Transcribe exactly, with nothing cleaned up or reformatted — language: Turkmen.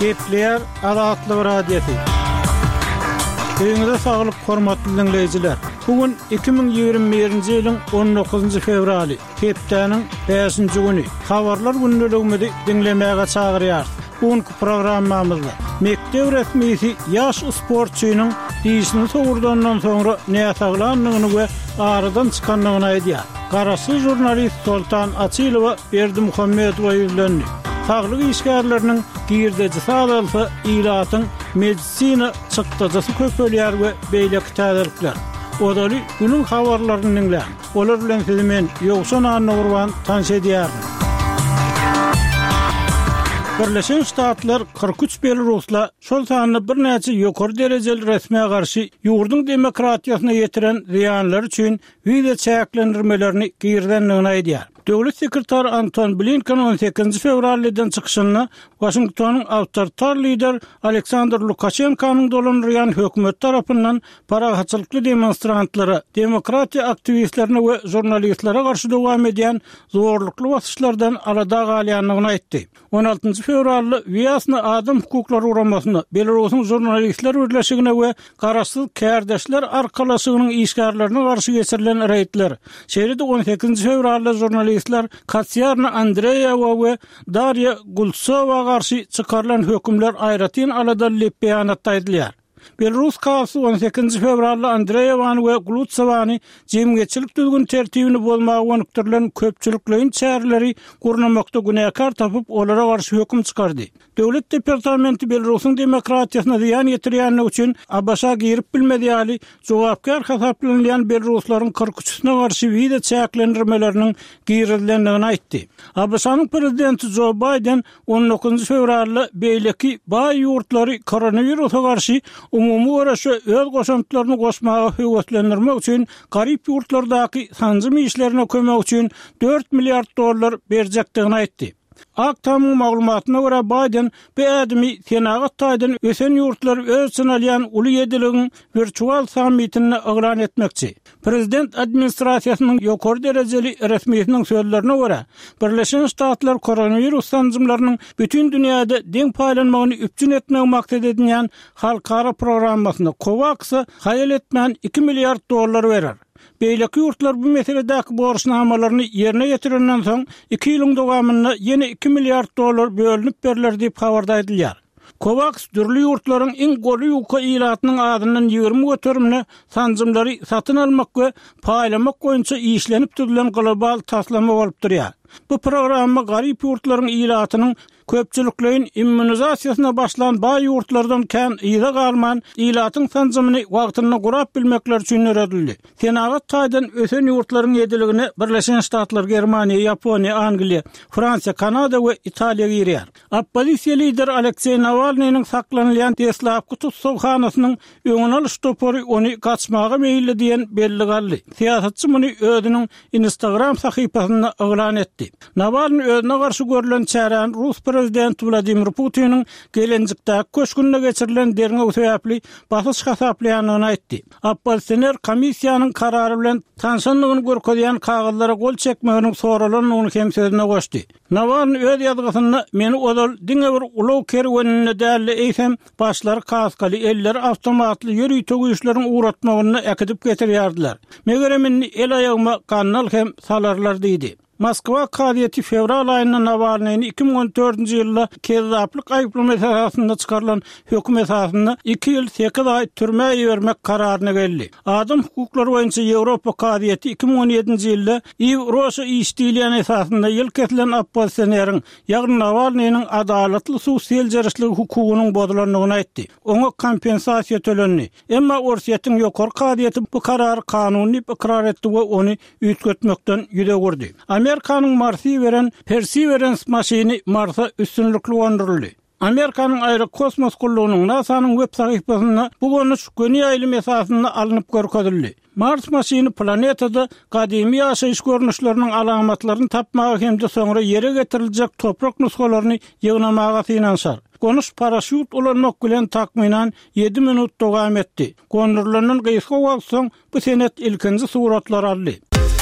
Gepleýär Azatlyk Radiosy. Öýüňize saglyk, hormatly dinleýjiler. Bu gün iki müň ýigrimi birinji ýylyň on dokuzynjy fewraly, hepdäniň bäşinji güni. Habarlar gündeligimizi diňlemäge çagyrýarys. Bu günki programmamyzda mekdep resmisi ýaş sportçynyň dişini sogurdandan soňra näsaglandygyny we aradan çykandygyny aýdýar. Garaşsyz žurnalist Soltan Açylowa Berdimuhamedowa ýüzlendi. Saglyk işgärleriniň girdejisi azalsa, ilatyň medisina çykdajysy köpelýär we beýleki täzelikler. Ozaly günüň habarlaryny diňläň. Olar bilen sizi men Ýowşan Annagurban tanyş edýärin. Birleşen Ştatlar kyrk üç belarusla, şol sanda birnäçe ýokary derejeli resmä garşy ýurduň demokratiýasyna ýetiren zyýanlary üçin wiza çäklendirmelerini girizendigini aýdýar. Döwlet sekretary Anton Blinken on sekizinji fewral eden çykyşynda Waşingtonyň awtoritar lider Aleksandr Lukaşenkonyň dolandyrýan hökümet tarapyndan parahatçylykly demonstrantlara, demokratiýa aktiwistlerine we žurnalistlere garşy dowam edýän zorlukly basyşlardan alada galýandygyny aýtdy. On altynjy fewralda Wýasna Adam hukuklary guramasyna, Belarusyň žurnalistler birleşigine we garaşsyz kärdeşler arkalaşygynyň işgärlerine garşy geçirilen reýdler, şeýle-de on sekizinji fewralda žurnalistler Katsiarna Andreýewa we Darýa Gultsowa garşy çykarylan hökümler aýratyn aladaly diýip beýanatda aýdylýar. Belarus kazysy on sekizinji fewralda Andreýewany we Glutsowany jemgyýetçilik düzgün tertibini bozmaga gönükdirilen köpçülikleýin çäreleri gurnamakda günäkär tapyp, olara garşy höküm çykardy. Döwlet departamenti Belarusyň demokratiýasyna zyýan ýetirýändigi üçin A B Ş-a girip bilmez ýaly jogapkär hasaplanylýan belaruslaryň kyrk üçüsine garşy wiza çäklendirmeleriniň girizilendigini aýtdy. A B Ş-nyň prezidenti Jo Bayden on dokuzynjy fewralda beýleki baý ýurtlary koronawirusa garşy umumy göreşe öz goşantlaryny goşmaga höweslendirmek üçin garyp ýurtlardaky sanjym işlerine kömek üçin dört milliard dollar berjekdigini aýtdy. Ak Tamyň maglumatyna görä Bayden bu ädimi senagat taýdan ösen ýurtlar öz içine alýan uly ýediligiň wirtual sammitinde yglan etmekçi. Prezident administrasiýasynyň ýokary derejeli resmisiniň sözlerine görä, Birleşen Ştatlar koronawirus sanjymlarynyň bütün dünýäde deň paýlanmagyny üpjün etmek maksat edinýän halkara programmasyna COVAX-a haýal etmän iki milliard dollar berer. Beýleki ýurtlar bu meseledäki borçnamalaryny ýerine ýetirenden soň iki ýylyň dowamynda ýene iki milliard dollar bölünip berler diýip habarda aýdylýar. COVAX dürli ýurtlaryň iň goly ýuka ilatynyň azyndan ýigrimi göterimine sanjymlary satyn almak we paýlamak boýunça işlenip düzülen global taslama bolup durýar. Bu programma garyp ýurtlaryň ilatynyň köpçülikleýin immunizasiýasyna başlan baý ýurtlardan kän yza galman, ilatyň sanjymyny wagtynda gurap bilmekler üçin döredildi. Senagat taýdan ösen ýurtlaryň ýediligine Birleşen Ştatlar, Germaniýa, Ýaponiýa, Angliýa, Fransiýa, Kanada we Italiýa girýär. Oppozisiýa lideri Alekseý Nawalnynyň saklanylýan deslapky tussaghanasynyň öňüni alyş topary ony gaçmaga meýilli diýen belli galdy. Syýasatçy muny özüniň Instagram sahypasynda yglan etdi. Nawalny özüne garşy görülen çäräni Rus prezidenti Wladimir Putiniň Gelenjikdäki köşgünde geçirilen derňew sebäpli basyş hasaplaýandygyny aýtdy. Oppozisioner komissiýanyň karary bilen tanşandygyny görkezýän kagyzlara gol çekmeginiň soralandygyny hem sözüne goşdy. Nawalny öz ýazgysynda meni ozal diňe bir ulag kerweninde däldi, eýsem başlary kaskaly, elleri awtomatly ýörite güýçleriň ugratmagynda äkidip getirýärdiler. Megerem indi el aýagyma gandal hem salarlar diýdi. Moskwa kazyýeti fewral aýynda Nawalnyny iki müň on dördünji ýylda kezzaplyk aýyplamasy esasynda çykarylan höküm esasynda iki ýyl sekiz aý türmä ibermek kararyna geldi. Adam hukuklary boýunça Ýewropa kazyýeti iki müň on ýedinji ýylda Iw Roşa iş diýilýän esasynda ýyl kesilen oppozisionerin, ýagny Nawalnynyň adalatly sud seljerişligi hukugynyň bozulandygyny aýtdy. Oňa kompensasiýa tölendi. Emma Orsýetiň ýokary kazyýeti bu karary kanuny diýip ykrar etdi we ony üýtgetmekden ýüz öwürdi. Amerikanyň Marsy beren Perseverance maşyny Marsa üstünlikli gonduryldy. Amerikanyň aerokosmos gullugynyň NASA-nyň web sahypasynda bu gonuş göni ýaýlym esasynda alnyp görkezildi. Mars maşyny planetada gadymy ýaşaýyş görnüşleriniň alamatlaryny tapmaga hem-de soňra ýere getiriljek toprak nusgalaryny ýygnamaga synanyşar. Gonuş paraşýut ulanmak bilen takmynan ýedi minut dowam etdi. Gondurylandan gysga wagt soň bu senet ilkinji suratlar aldy.